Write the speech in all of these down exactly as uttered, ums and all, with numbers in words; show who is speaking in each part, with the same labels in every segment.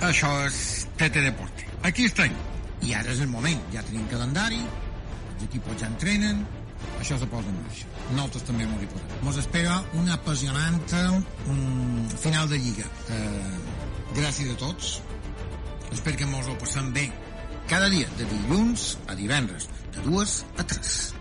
Speaker 1: Això és T T Deporte. Aquí estem.
Speaker 2: I ara és el moment. Ja tenim calendari, els equips ja entrenen, això se posa en marxa. Nosaltres també m'ho hi posem. Mos espera un apassionant um, final de Lliga. Eh, gràcies a tots. Espero que mos ho passem bé cada dia, de dilluns a divendres, de dues a tres.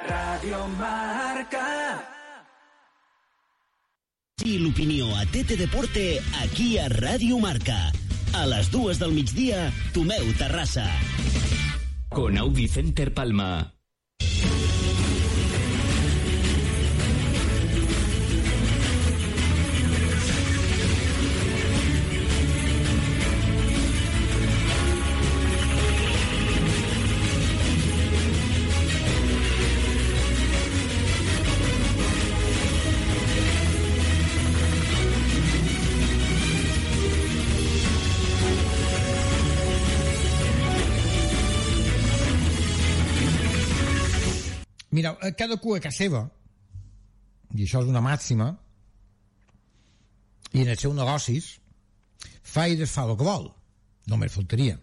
Speaker 3: Radio Marca.
Speaker 4: I l'opinió a T T Deporte aquí a Ràdio Marca. A les dues del migdia, Tomeu Terrassa.
Speaker 5: Con Audi Center Palma.
Speaker 2: Mireu, cada cua a casa seva, i això és una màxima, i en els seus negocis fa i desfà el que vol, només faltaria.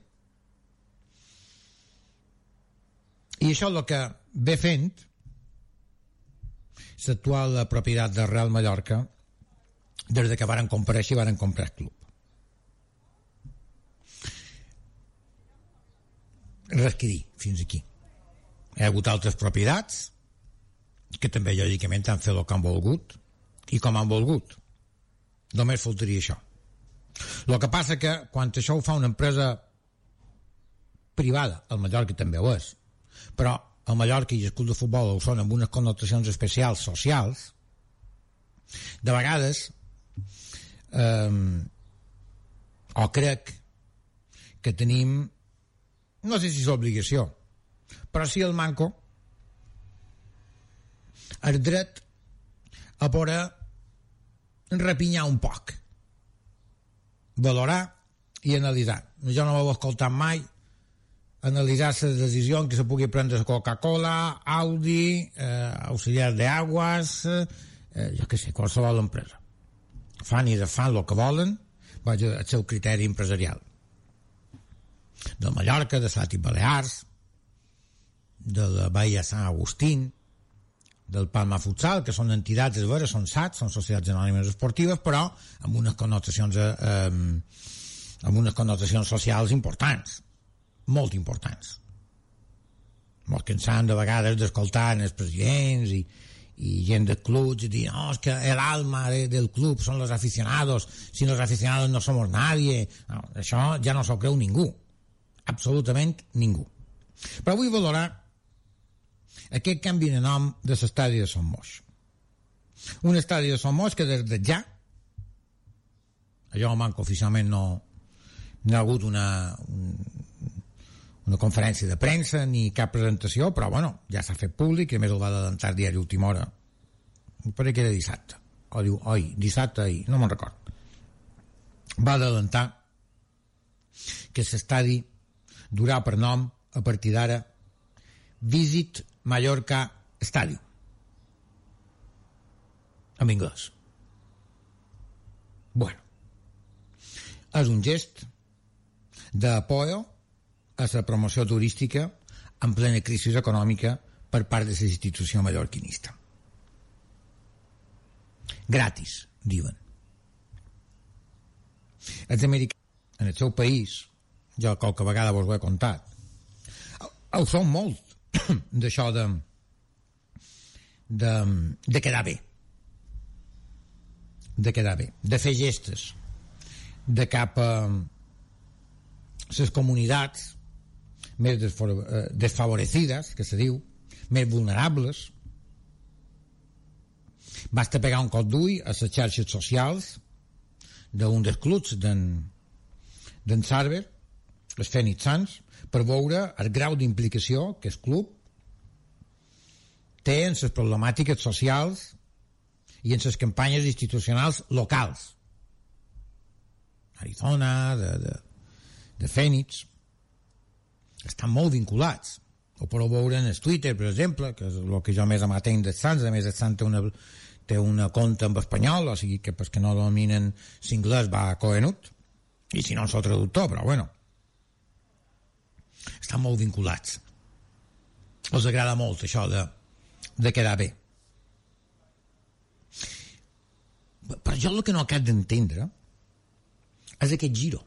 Speaker 2: I això és el que ve fent l'actual propietat de Real Mallorca des de que varen comparèixer i varen comprar el club. Res que dir, fins aquí. Hi ha hagut altres propietats que també lògicament han fet el que han volgut i com han volgut. Només faltaria això. El que passa que quan això ho fa una empresa privada, el Mallorca també ho és, però el Mallorca i el club de futbol ho són amb unes connotacions especials socials, de vegades eh, o crec que tenim, no sé si és obligació, però sí el manco el dret a poder repinyar un poc, valorar i analitzar. Jo no m'ho he escoltat mai analitzar les decisions que se pugui prendre Coca-Cola, Audi, eh, auxiliar d'aigües, eh, jo què sé, qualsevol empresa. Fan i desfan el que volen, vaja, el seu criteri empresarial. Del Mallorca, de Sati Balears, de la Bahia Sant Agustín, del Palma Futsal, que són entitats, és vera, són S A T, són societats anònimes esportives, però amb unes connotacions eh, amb unes connotacions socials importants, molt importants. Molt cansant de vegades d'escoltar els presidents i, i gent de clubs i dir, no, és que l'alma de, del club són los aficionados, si los aficionados no somos nadie. No, això ja no s'ho creu ningú, absolutament ningú. Però vull valorar aquest canvi de nom de l'estadi de Son Moix. Un estadi de Son Moix que des de ja, allò manco oficialment no, no ha hagut una, un, una conferència de premsa ni cap presentació, però bueno, ja s'ha fet públic i a més el va adelantar el diari Última Hora. Parece que era dissabte, o diu, oi, dissabte ahir, no me'n record. Va adelantar que l'estadi durà per nom a partir d'ara Visit Mallorca Stadium en anglès. Bueno, és un gest d'apoyo a la promoció turística en plena crisi econòmica per part de la institució mallorquinista. Gratis, diuen. Els americans en el seu país, jo qualque vegada vos ho he contat, ho són molt d'això de, de de quedar bé, de quedar bé, de fer gestes de cap a les comunitats més desfavorecides, que se diu, més vulnerables. Basta pegar un cop d'ull a les xarxes socials d'un dels clubs d'en, d'en Sarver, els Phoenix Suns, per veure el grau d'implicació que el club té en les problemàtiques socials i en les campanyes institucionals locals. Arizona, de, de, de Phoenix, estan molt vinculats. Ho podeu veure en el Twitter, per exemple, que és el que jo més amatenc dels Suns. A més, el Suns té una, té una compte en espanyol, o sigui que pues, que no dominen l'inglès va a Cohenut, i si no el seu traductor, però bueno, estan molt vinculats. Els agrada molt això de, de quedar bé. Però jo el que no acabo d'entendre és aquest giro.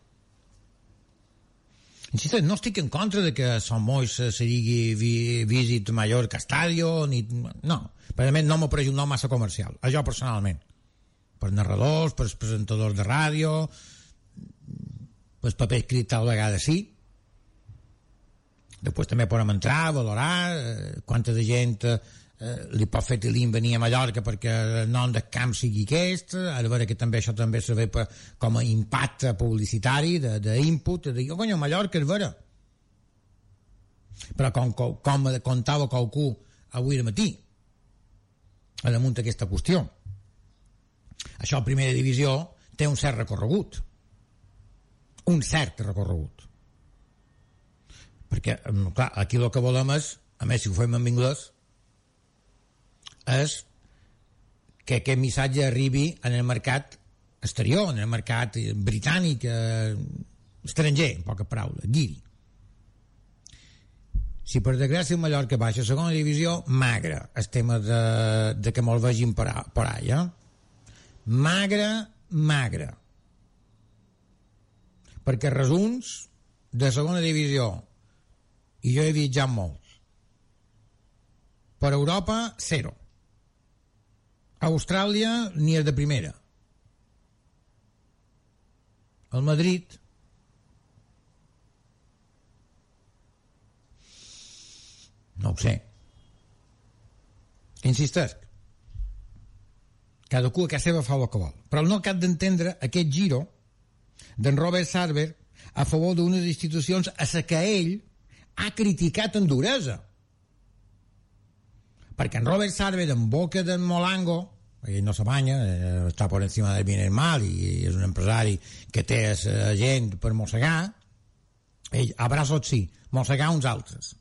Speaker 2: Insisteix, no estic en contra de que Sant Moix se digui vi, Visit Mallorca Estadio, ni, no, per a mi no m'ho pareix un nom massa comercial, a jo personalment, per narradors, per presentadors de ràdio, per paper escrit tal vegada sí. Després també podem entrar, valorar eh, quanta de gent eh, li pot fer Tilín venir a Mallorca perquè el nom del camp sigui aquest, a veure que també això també se ve per, com a impacte publicitari d'input, de dir, oh, conyo, Mallorca és vera. Però com, com, com contava qualcú avui al matí a damunt d'aquesta qüestió, això a primera divisió té un cert recorregut, un cert recorregut, perquè clar, aquí el que volem és, a més si ho fem en anglès, és que aquest missatge arribi en el mercat exterior, en el mercat britànic, eh, estranger, en poques paraules, guiri. Si per desgràcia el Mallorca baixa a segona divisió, magre el tema de, de que me'l vegin per, per allà. Magre, magre. Perquè resums de segona divisió, i jo he viatjat molts, per Europa, zero. Austràlia ni és de primera. El Madrid no ho sé. Insistesc, cadascú a casa seva fa el que vol, però no cap d'entendre aquest giro d'en Robert Sarver a favor d'unes institucions a la que ell ha criticat en duresa. Perquè en Robert Sarver, en boca d'en Molango, ell no se banya, eh, està per encima del bien i el mal, i és un empresari que té a gent per mossegar, ell, abraços sí, mossegar uns altres.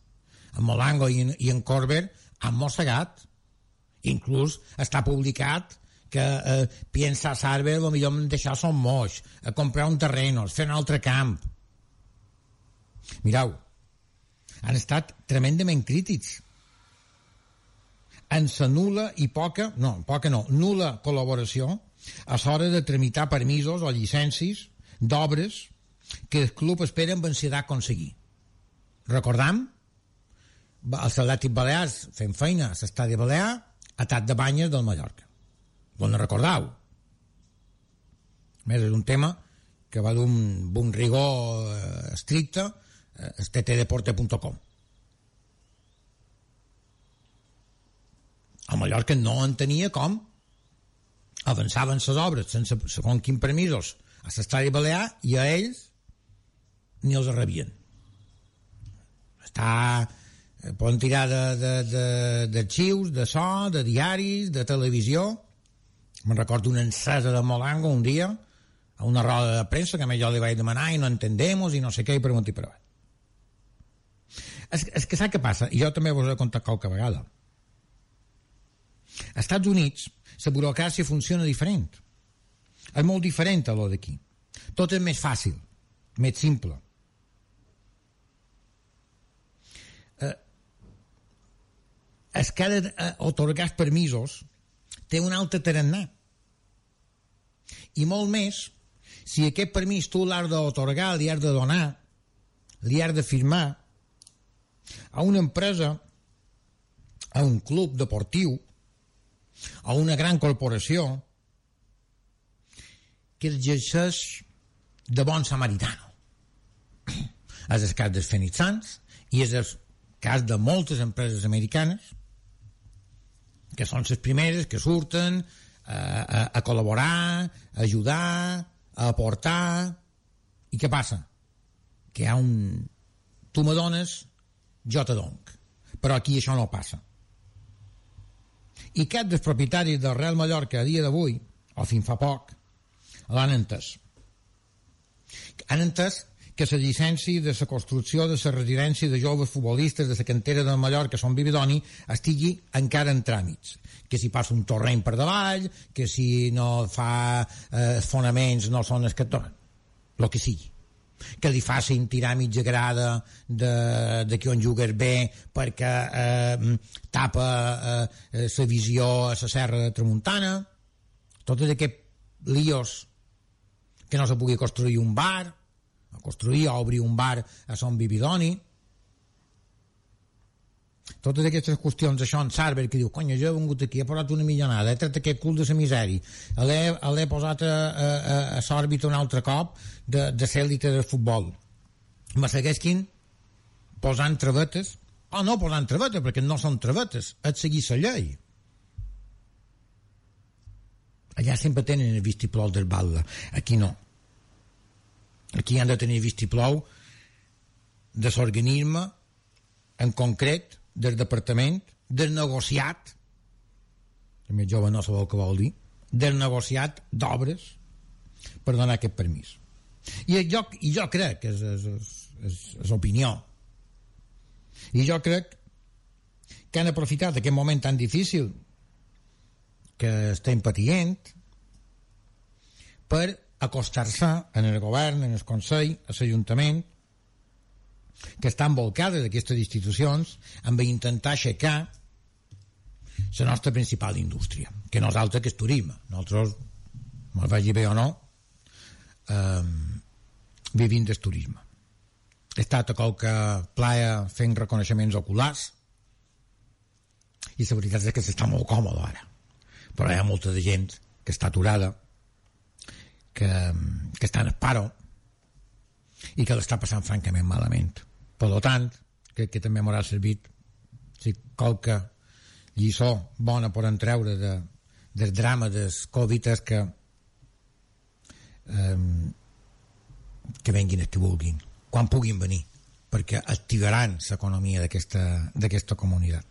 Speaker 2: En Molango i en, i en Corbett han mossegat, inclús està publicat que eh, piensa Sarver lo millor en deixar son moix, a comprar un terreno, fer un altre camp. Mireu, han estat tremendament crítics en la nul·la i poca, no, poca no, nul·la col·laboració a l'hora de tramitar permisos o llicències d'obres que el club espera amb ansietat aconseguir. Recordam els Atlètics Balears fent feina a l'estadi Balear, atac de banyes del Mallorca. Bon recordau. A més, és un tema que va d'un un rigor eh, estricte, eh, t t deporte punt com. A Mallorca no entenia com avançaven les obres sense segons quins permisos a l'estadi Balear i a ells ni els rebien. Està, poden tirar d'arxius, de, de, de so, de diaris, de televisió. Me'n recordo una encesa de Molango un dia a una roda de premsa que a mi jo li vaig demanar i no entendemos i no sé què i pregunti per avall. És, és que sap què passa? I jo també vos he contat qualque vegada. Als Estats Units la burocràcia funciona diferent. És molt diferent a lo d'aquí. Tot és més fàcil, més simple. Eh, es que ha d'atorgar permisos té un altre tarannà. I molt més si aquest permís tu l'has d'atorgar, li has de donar, li has de firmar a una empresa, a un club deportiu, a una gran corporació que exerceix de bon samaritano. És el cas dels Phoenix Suns i és el cas de moltes empreses americanes que són les primeres que surten a, a, a col·laborar, a ajudar, a aportar. I què passa? Que hi ha un... Tu me dones, jo te dono. Però aquí això no passa. I cap dels propietaris del Real Mallorca a dia d'avui, o fins fa poc, l'han entès. Han entès que la llicència de la construcció de la residència de joves futbolistes de la cantera de Mallorca, Son Bividoni, estigui encara en tràmits. Que si passa un torrent per davall, que si no fa eh, fonaments no són escators, el que sigui. Que li facin tirar mitja grada de, de que on jugues bé perquè eh, tapa la eh, visió a la serra de Tramuntana. Tots aquests líos que no se pugui construir un bar, a construir o obrir un bar a Son Bividoni. Totes aquestes qüestions, això en Sarver, que diu, conya, jo he vengut aquí, he posat una millonada, he tret aquest cul de la misèria, l'he posat a, a, a l'òrbita un altre cop de, de l'èlite del futbol. Me segueixin posant travetes, o no posant travetes, perquè no són travetes, és seguir la llei. Allà sempre tenen el vistiplau del Batlle, aquí no. Aquí han de tenir vistiplau de l'organisme en concret, del departament, del negociat, el més jove no sabeu què vol dir, del negociat d'obres per donar aquest permís. I jo, i jo crec que és, és, és, és opinió, i jo crec que han aprofitat aquest moment tan difícil que estem patient per acostar-se en el govern, en el Consell, a l'Ajuntament, que estan volcades d'aquestes institucions amb intentar aixecar la nostra principal indústria, que no és altra que el turisme. Nosaltres, me'l vagi bé o no, eh, vivim del turisme. He estat a qualque playa fent reconeixements oculars i la veritat és que s'està molt còmode ara, però hi ha molta de gent que està aturada, que, que està en paro i que l'està passant francament malament. Per tant, crec que també m'haurà servit si qualque lliçó bona podem treure de, del drama del Covid és que eh, que venguin els que vulguin, quan puguin venir, perquè activaran l'economia d'aquesta d'aquesta comunitat.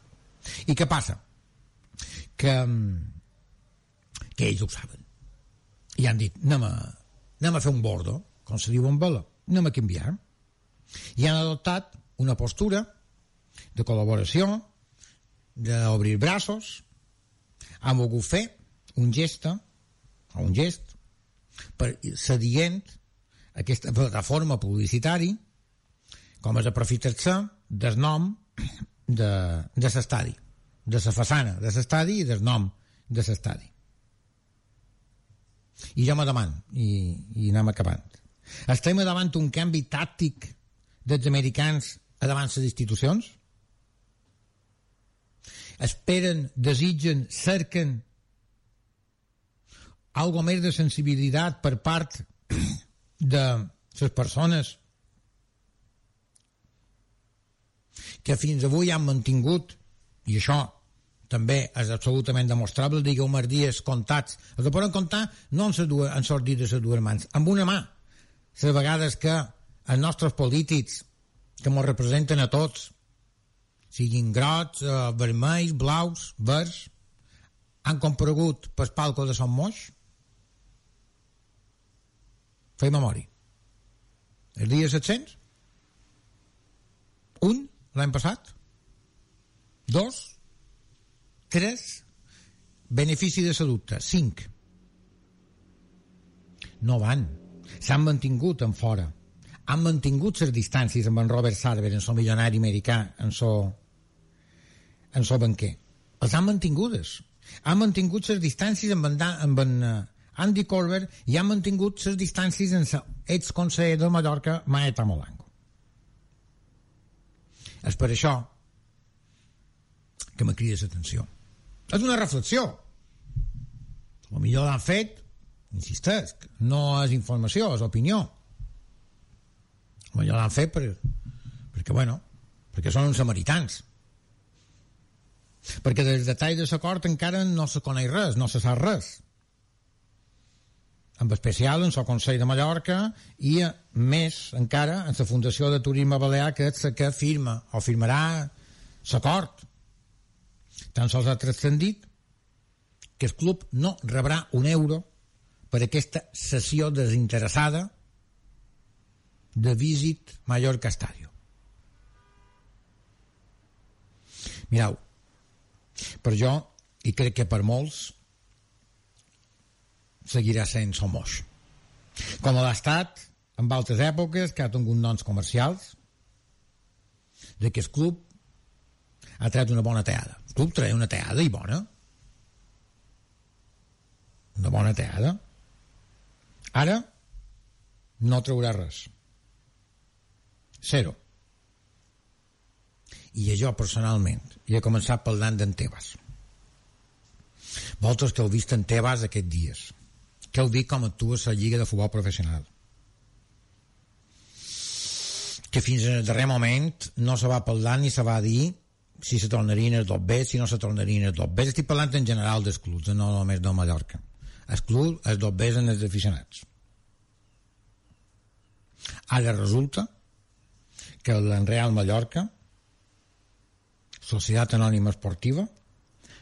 Speaker 2: I què passa? Que, que ells ho saben. I han dit, anem a, anem a fer un bordo, com se diu en vela, anem a canviar. I han adoptat una postura de col·laboració, d'obrir braços, han volgut fer un gest, o un gest, per sedient aquesta plataforma publicitària com és aprofitar-se del nom de, de l'estadi, de la façana de l'estadi i del nom de l'estadi. I jo me demano, i, i anem acabant, estem davant un canvi tàctic dels americans a davant les institucions? Esperen, desitgen, cerquen algo més de sensibilitat per part de les persones que fins avui han mantingut, i això també és absolutament demostrable, digueu-me els dies comptats, els poden comptar no en les dues, en les dites de les dues mans, amb una mà, les vegades que els nostres polítics que ens representen a tots, siguin grocs, eh, vermells, blaus, verds, han comparegut pel palco de Son Moix? Fem memòria. El dia set-cents? Un, l'any passat? Dos? Tres? Benefici de la dubte? Cinc. No van. S'han mantingut en fora. Han mantingut les distàncies amb en Robert Sarver, en so milionari americà, en so, en so banquer. Els han mantingudes. Han mantingut les distàncies amb en, amb en Andy Corber i han mantingut les distàncies amb l'exconseller de Mallorca, Maeta Molango. És per això que me crida l'atenció. És una reflexió. O millor l'han fet, insistesc, no és informació, és opinió. Ja l'han fet per, perquè, bueno, perquè són uns samaritans. Perquè del detall de l'acord encara no se coneix res, no se sap res. En especial en el Consell de Mallorca i més encara en la Fundació de Turisme Balear, que és la que firma o firmarà l'acord. Tan sols ha transcendit que el club no rebrà un euro per aquesta cessió desinteressada de Visit Mallorca Estadio. Mireu, per jo, i crec que per molts, seguirà sent Somos. Com l'ha estat en altres èpoques, que ha tingut noms comercials, de que el club ha tret una bona teada. El club tret una teada i bona. Una bona teada. Ara no traurà res. Zero. I jo personalment i he començat parlant d'en Tebas. Vosaltres que heu vist en Tebas aquests dies, que heu vist com actua la Lliga de Futbol Professional, que fins al darrer moment no se va parlar ni se va dir si se tornarien els dos B, si no se tornarien els dos B. Estic parlant en general dels clubs, no només de Mallorca. Els clubs, els dos B en els aficionats. Ara resulta que el Real Mallorca, Societat Anònima Esportiva,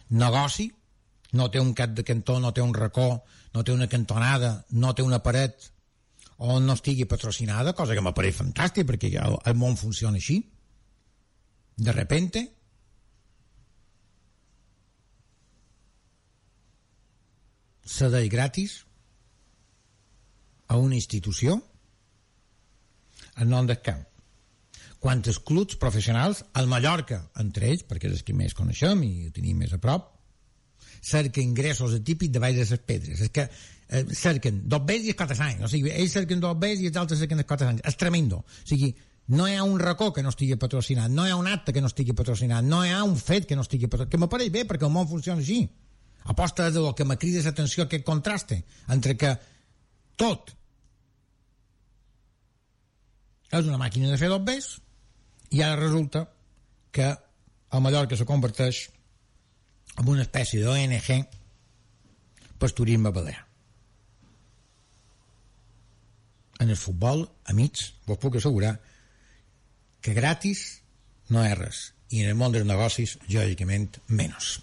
Speaker 2: negoci, no té un cap de cantó, no té un racó, no té una cantonada, no té una paret on no estigui patrocinada, cosa que m'apareix fantàstic perquè el, el món funciona així. De repente cedeix gratis a una institució en nom del camp. Quantes clubs professionals, al Mallorca, entre ells, perquè és els que més coneixem i ho tenim més a prop, cerquen ingressos atípics de baix de les pedres. És que eh, cerquen dos bes i els quatre anys. O sigui, ells cerquen dos bes i els altres cerquen els quatre anys. És tremendo. O sigui, no hi ha un racó que no estigui patrocinat, no hi ha un acte que no estigui patrocinat, no hi ha un fet que no estigui patrocinat, que m'apareix bé perquè el món funciona així. Aposta de lo que me crida l'atenció aquest contraste entre que tot és una màquina de fer dos bes i ara resulta que el Mallorca se converteix en una espècie d'O N G per turisme balear. En el futbol, amics, vos puc assegurar que gratis no és res, i en el món dels negocis, lògicament, menys.